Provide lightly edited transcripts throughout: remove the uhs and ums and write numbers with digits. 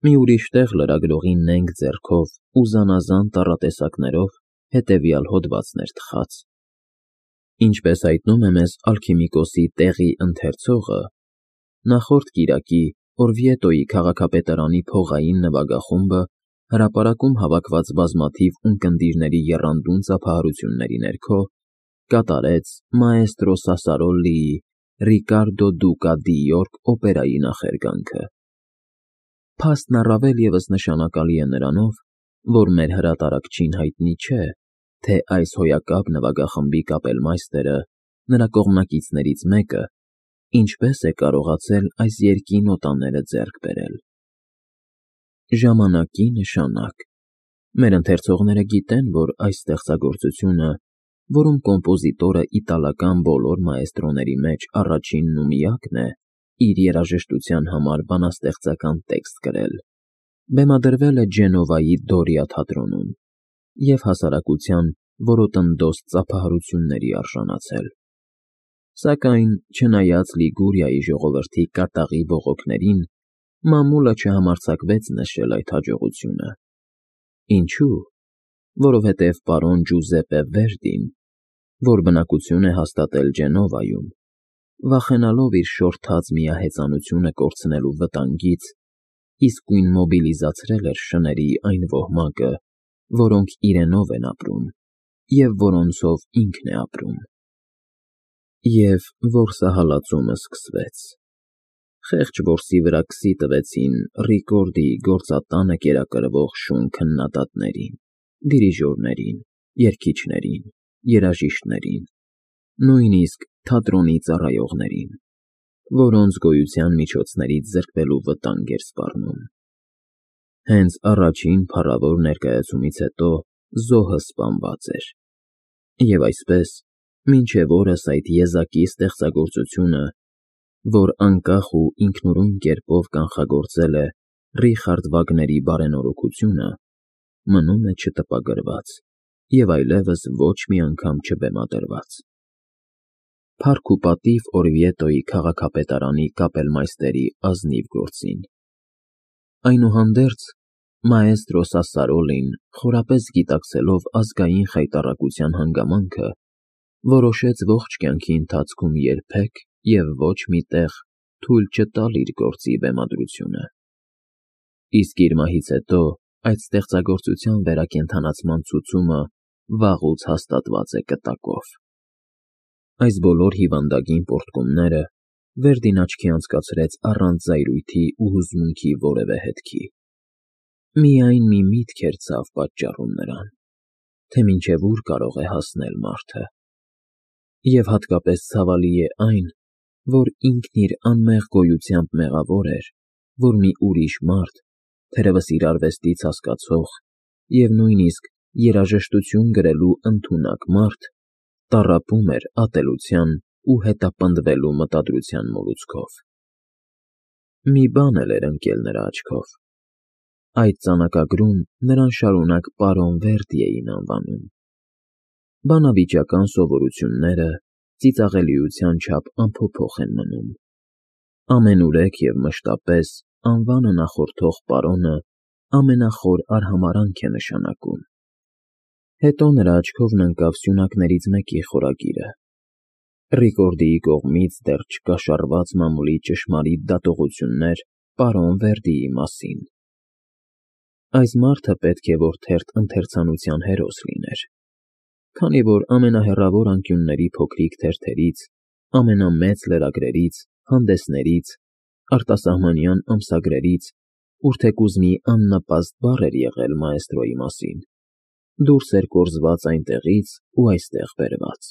մի ուրիշ տեղ լրագրողի նենգ ձեռքով ու զանազան տառատեսակներով հետևյալ հոդվածն էր թխած. Ինչպես հայտնում է մեզ Ալքիմիկոսի տեղի ընթերցողը, նախորդ կիրակի Օրվիետոյի քաղաքապետարանի փողային նվագախումբը հրապարակում հավաքված բազմաթիվ ունկնդիրների եռանդուն ծափահարությունների ներքո կատարեց մաեստրո Սասարոլլիի Ռիկարդո Դուկա դի Յորք օպերայի նախերգանքը։ Փաստն առավել ևս նշանակալի է նրանով, որ մեր հրատարակչին հայտնի չէ, թե այս հոյակապ նվագախմբի կապելմայստերը, նրա կողմնակիցներից մեկը, ինչպես է կարողացել այս երգի նոտաները ձեռք բերել։ Ժամանակի նշանակ։ Մեր ընթերցողները գիտեն, որ այս ստեղծագործությունը, որում կոմպոզիտորը իտալական բոլոր մաեստրոների մեջ առաջինն ու միակն է, իր երաժշտության համար բանաստեղծական տեքստ գրել, բեմադրվել է Ջենովայի Դորիա թատրոնում և հասարակության որոտնդոս ծափահարությունների արժանացել։ Սակայն, չնայած Լիգուրիայի ժողովրդի կատաղի բողոքներին, մամուլը չհամարձակվեց նշել այդ հաջողությունը։ Ինչու՞։ Որովհետև պարոն Ջուզեպպե Վերդին, որ բնակություն է հաստատել Ջենովայում, վախենալով իր շորթած միահեծանությունը կորցնելու վտանգից, իսկույն մոբիլիզացրել էր շների այն ոհմակը, որոնք իրենով են ապրում և որոնցով ինքն է ապրում։ Եվ որսահալածումը սկսվեց։ Խեղճ որսի վրա քսի տվեցին Ռիկորդիի գործատանը կերակրվող շուն քննադատներին, դիրիժորներին, երգիչներին, երաժիշտներին, նույնիսկ թատրոնի ծառայողներին, որոնց գոյության միջոցներից զրկվելու վտանգ էր սպառնում։ Հենց առաջին փառավոր ներկայացումից հետո զոհը սպանված էր, և այսպես, մինչև օրս այդ եզակի ստեղծագործությունը, որ անկախ ու ինքնուրույն կերպով կանխագործել է Ռիխարդ Վագների բարենորոգությունը, մնում է չտպագրված և այլևս ոչ մի անգամ չբեմադրված։ Փառք ու պատիվ Օրվիետոյի քաղաքապետարանի կապելմայստերի ազնիվ գործին։ Այնուհանդերձ, մաեստրո Սասարոլին, խորապես գիտակցելով ազգային խայտառակության հանգամանքը, որոշեց ողջ կյանքի ընթացքում երբեք և ոչ մի տեղ թույլ չտալ իր գործի բեմադրությունը։ Իսկ իր մահից հետո այդ ստեղծագործության վերակենդանացման ցուցումը վաղուց հաստատված է կտակով։ Այս բոլոր հիվանդագին պոռթկումները Վերդին աչքի անցկացրեց առանց զայրույթի ու հուզմունքի որևէ հետքի։ Միայն մի միտք էր ցավ պատճառում նրան, թե մինչև ուր կարող է հասնել մարդը։ Եվ հատկապես ցավալի է այն, որ ինքն իր անմեղ գոյությամբ մեղավոր էր, որ մի ուրիշ մարդ, թերևս իր արվեստից հասկացող և նույնիսկ երաժշտություն գրելու ընդունակ մարդ, տառապում էր ատելության ու հետապնդվելու մտադրության մոլուցքով։ Մի բան էլ էր ընկել նրա աչքով. այդ ծանակագրում նրան շարունակ պարոն Վերդի էին անվանում։ Բանավիճական սովորությունները ծիծաղելիության չափ անփոփոխ են մնում։ Ամենուրեք և մշտապես անվանը նախորդող պարոնը ամենախոր արհամարհանք է նշանակում։ Հետո նրա աչքովն ընկավ սյունակներից մեկի խորագիրը։ Ռիկորդիի կողմից դեռ չկաշառված մամուլի ճշմարիտ դատողություններ պարոն Վերդիի մասին։ Այս մարդը պետք է որ թերթ-ընթերցանության հերոս լիներ, քանի որ ամենահեռավոր անկյունների փոքրիկ թերթերից, ամենամեծ լրագրերից, հանդեսներից, արտասահմանյան ամսագրերից, ուր թեկուզ մի աննպաստ բառ էր եղել մաեստրոյի մասին, դուրս էր կորզված այնտեղից ու այստեղ բերված։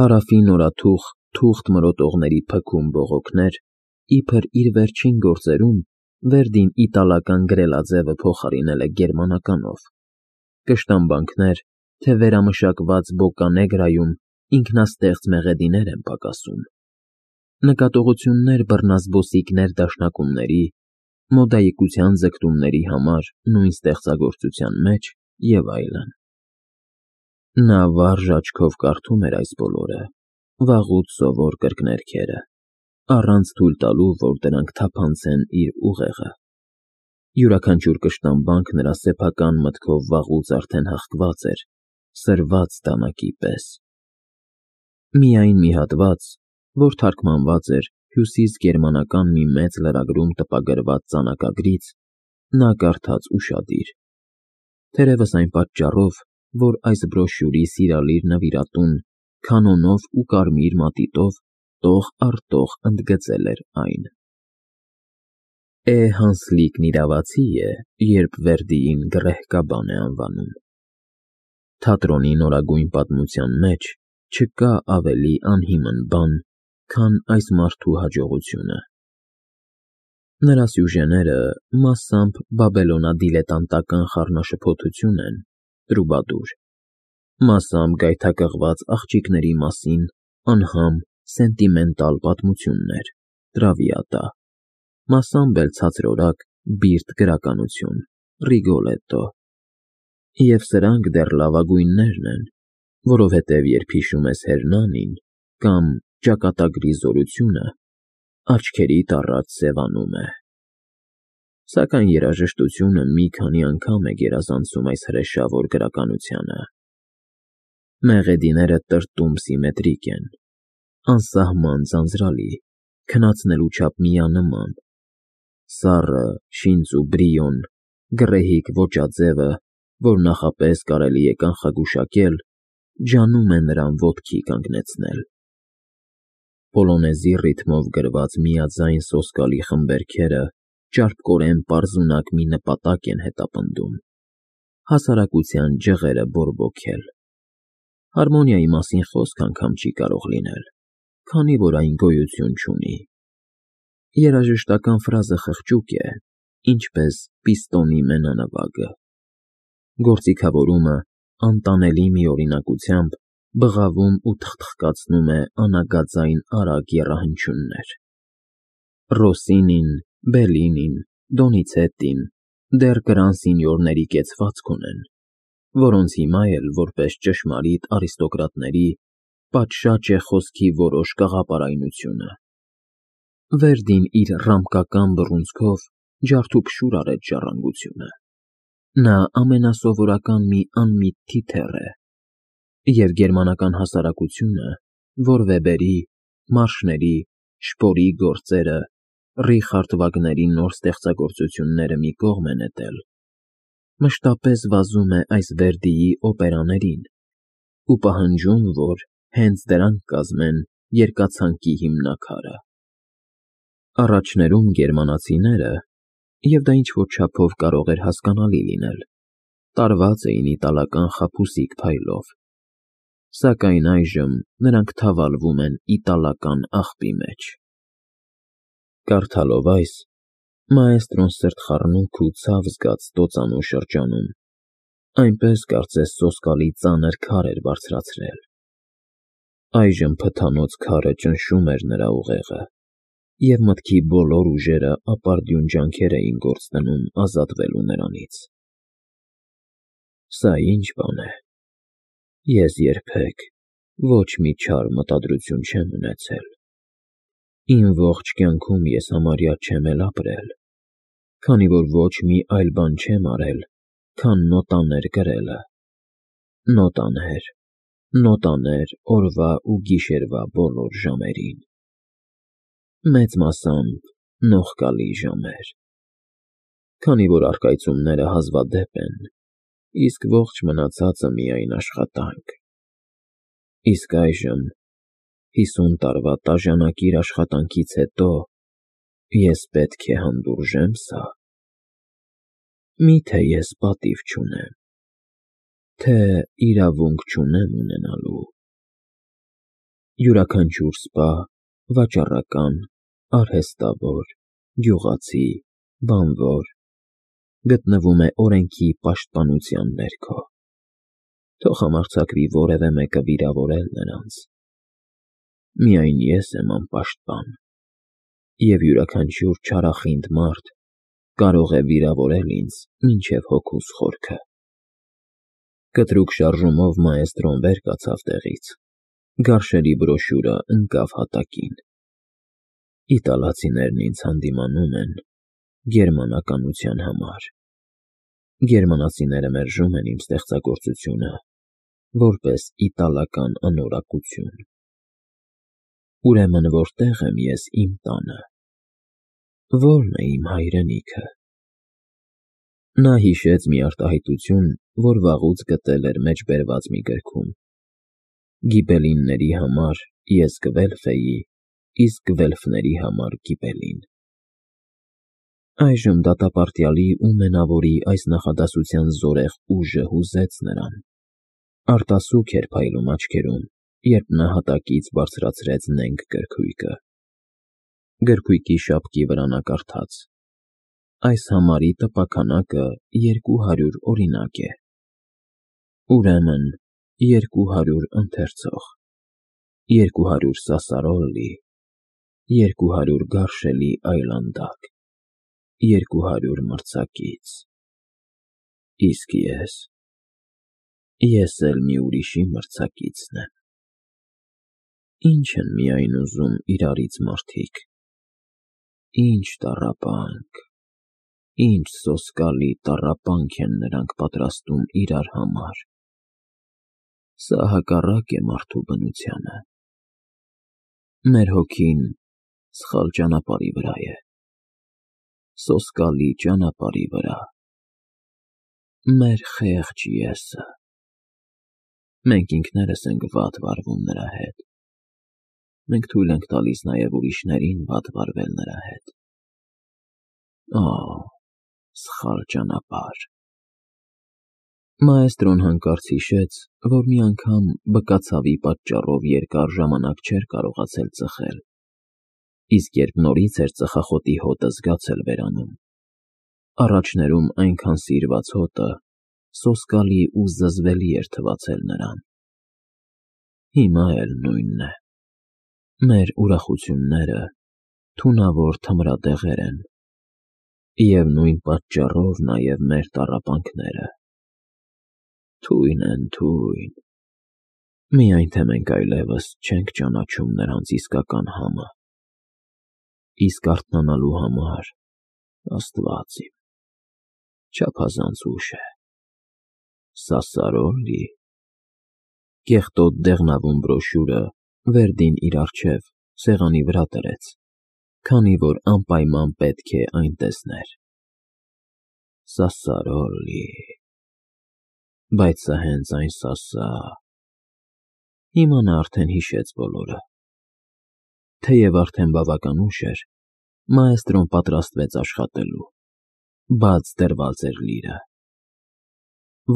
Հարավի նորաթուխ թուղթ մրոտողների փքում բողոքներ, իբր իր վերջին գործերում Վերդին իտալական գրելաձևը փոխարինել է գերմանականով, կշտամբանքներ, թե վերամշակված Բոկանեգրայում ինքնաստեղծ մեղեդիներ են պակասում, նկատողություններ բռնազբոսիկ ներդաշնակումների, մոդայիկության ձգտումների համար նույն ստեղծագործության մեջ և այլն։ Նա վարժ աչքով կարդում էր այս բոլորը, վաղուց սովոր կրկներգերը, առանց թույլ տալու, որ դրանք թափանցեն իր ուղեղը, Յուրաքանչյուր կշտամբանք նրա սեփական մտքով վաղուց արդեն հղկված էր, սրված դանակի պես։ Միայն մի հատված, որ թարգմանված էր հյուսիսգերմանական մի մեծ լրագրում տպագրված ծանակագրից, նա կարդաց ուշադիր։ Թերևս այն պատճառով, որ այս բրոշյուրի սիրալիր նվիրատուն քանոնով ու կարմիր մատիտով տող առ տող ընդգծել էր այն. Հանսլիկն իրավացի է, երբ Վերդիին գռեհկաբան է անվանում։ Թատրոնի նորագույն պատմության մեջ չկա ավելի անհիմն բան, քան այս մարդու հաջողությունը։ Նրա սյուժեները մասամբ բաբելոնադիլետանտական խառնաշփոթություն են, տրուբադուր, մասամբ գայթակղված աղջիկների մասին անհամ սենտիմենտալ պատմություններ, տրավիատա, մասամբ էլ ցածրորակ բիրտ գրականություն, Ռիգոլետո։ Եվ սրանք դեռ լավագույններն են, որովհետև երբ հիշում ես Հերնանին կամ ճակատագրի զորությունը, աչքերիդ առաջ սևանում է։ Սակայն երաժշտությունը մի քանի անգամ է գերազանցում այս հրեշավոր գրականությանը։ Մեղեդիները տրտում սիմետրիկ են, անսահման ձանձրալի, քնացնելու չափ միանման։ Սառը, շինծ ու բրիոն, գռեհիկ ոճաձևը, որ նախապես կարելի է կանխագուշակել, ջանում է նրան ոտքի կանգնեցնել։ Պոլոնեզի ռիթմով գրված միաձայն սոսկալի խմբերգերը ճարպկորեն պարզունակ մի նպատակ են հետապնդում՝ հասարակության ջղերը բորբոքել։ Հարմոնիայի մասին խոսք անգամ չի կարող լինել, քանի որ այն գոյություն չունի։ Երաժշտական ֆրազը խղճուկ է, ինչպես պիստոնի մենանվագը։ Գործիքավորումը անտանելի մի օրինակությամբ բղավում ու թխթխկացնում է անագածային արագ եռահանչյուններ։ Ռոսինին, Բելինին, Դոնիցետտին դեռ կրան սինյորների կեցվածք ունեն, որոնց հիմա էլ, որպես ճշմարիտ արիստոկրատների, պատշաճ է խոսքի որոշ կաղապարայնությունը։ Վերդին իր ռամկական բռունցքով ջարդուփշուր արեց ժառանգությունը։ Նա ամենասովորական մի անմիտ թիթեռ է, և գերմանական հասարակությունը, որ Վեբերի, Մարշների, Շպորի գործերը, Ռիխարդ Վագների նոր ստեղծագործությունները մի կողմ է նետել, մշտապես վազում է այս Վերդիի օպերաներին ու պահանջում, որ հենց դրանք կազմեն երկացանկի հիմնաքարը։ Առաջներում գերմանացիները, և դա ինչ-որ չափով կարող էր հասկանալի լինել, տարված էին իտալական խաբուսիկ փայլով, սակայն այժմ նրանք թավալվում են իտալական աղբի մեջ։ Կարդալով այս, մաեստրոն սրտխառնոք ու ցավ զգաց տոծանու շրջանում, այնպես կարծես սոսկալի ծանր քար էր բարձրացրել։ Այժմ փթանոց քարը ճնշում էր նրա ուղեղը, և մտքի բոլոր ուժերը ապարդյուն ջանքեր էին գործ դնում ազատվելու նրանից։ Սա ի՞նչ բան է։ Ես երբեք ոչ մի չար մտադրություն չեմ ունեցել։ Իմ ողջ կյանքում ես համարյա չեմ էլ ապրել, քանի որ ոչ մի այլ բան չեմ արել, քան նոտաներ գրելը։ Նոտաներ, նոտաներ օրվա ու գիշերվա բոլոր ժամերին։ Մեծ մասամբ նողկալի ժամեր, քանի որ առկայծումները հազվադեպ են, իսկ ողջ մնացածը միայն աշխատանք։ Իսկ այժմ, 50 տարվա տաժանակիր աշխատանքից հետո, ես պետք է հանդուրժե՞մ սա։ Մի՞թե ես պատիվ չունեմ, թե իրավունք չունեմ ունենալու։ Յուրաքանչյուր սպա, վաճառական, արհեստավոր, գյուղացի, բանվոր գտնվում է օրենքի պաշտպանության ներքո։ Թող համարձակվի որևէ մեկը վիրավորել նրանց։ Միայն ես եմ անպաշտպան, և յուրաքանչյուր չարախինդ մարդ կարող է վիրավորել ինձ մինչև հոգուս խորքը։ Կտրուկ շարժումով մաեստրոն վեր կացավ տեղից, գարշելի բրոշյուրը ընկավ հատակին։ Իտալացիներն ինձ հանդիմանում են, գերմանականության համար։ Գերմանացիները մերժում են իմ ստեղծագործությունը որպես իտալական անորակություն։ Ուրեմն որտե՞ղ եմ ես իմ տանը, ո՞րն է իմ հայրենիքը։ Նա հիշեց մի արտահայտություն, որ վաղուց գտել էր մեջբերված մի գրքում. Գիբելինների համար ես գվելֆ էի, իսկ գվելֆների համար գիբելին։ Այժմ դատապարտյալի ու մենավորի այս նախադասության զորեղ ուժը հուզեց նրան։ Արտասուք էր փայլում աչքերում, երբ նա հատակից բարձրացրեց նենգ գրքույկը։ Գրքույկի շապքի վրա նա կարդաց. այս համարի տպաքանակը 200 օրինակ է։ Ուրեմն 200 ընթերցող, 200 սասարոլլի, 200 գարշելի այլանդակ, 200 մրցակից։ Իսկ ես էլ մի ուրիշի մրցակիցն եմ։ Ինչ են միայն ուզում իրարից մարդիկ, ինչ տառապանք, ինչ սոսկալի տառապանք են նրանք պատրաստում իրար համար։ Սա հակառակ է մարդու բնությանը։ Մեր հոգին սխալ ճանապարհի վրա է, սոսկալի ճանապարհի վրա։ Մեր խեղճ ես֊ը։ Մենք ինքներս ենք վատ վարվում նրա հետ։ Մենք թույլ ենք տալիս նաև ուրիշներին վատ վարվել նրա հետ։ Օ, սխալ ճանապարհ։ Մաեստրոն հանկարծ հիշեց, որ մի անգամ բկացավի պատճառով երկար ժամանակ չէր կարողացել ծխել, իսկ երբ նորից էր ծխախոտի հոտը զգացել վերանում, առաջներում այնքան սիրված հոտը սոսկալի ու զզվելի էր թվացել նրան։ Հիմա էլ նույնն է։ Մեր ուրախությունները թունավոր թմրադեղեր են, և նույն պատճառով նաև մեր տառապանքները։ Թույն են, թույն։ Միայն թե մենք այլևս չենք ճանաչում նրանց իսկական համը։ Իսկ արթնանալու համար, Աստված իմ, չափազանց ուշ է։ Սասարոլլի։ Կեղտոտ դեղնավուն բրոշյուրը Վերդին իր առջև սեղանի վրա դրեց, քանի որ անպայման պետք է այն տեսներ։ Սասարոլլի։ Բայց սա հենց այն Հիմա նա արդեն հիշեց բոլորը։ Թեև արդեն բավական ուշ էր, մաեստրոն պատրաստվեց աշխատելու, բաց դրված էր լիրը։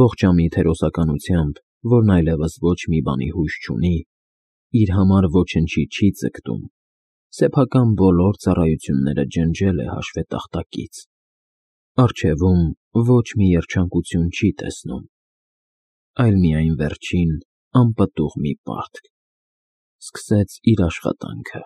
Ողջամիտ հերոսականությամբ, որն այլևս ոչ մի բանի հույս չունի, իր համար ոչնչի չի ձգտում, սեփական բոլոր ծառայությունները ջնջել է հաշվետախտակից։ Առջևում ոչ մի երջանկություն չի տեսնում, այլ միայն վերջին անպտուղ մի պարտք։ Սկսեց իր աշխատանքը։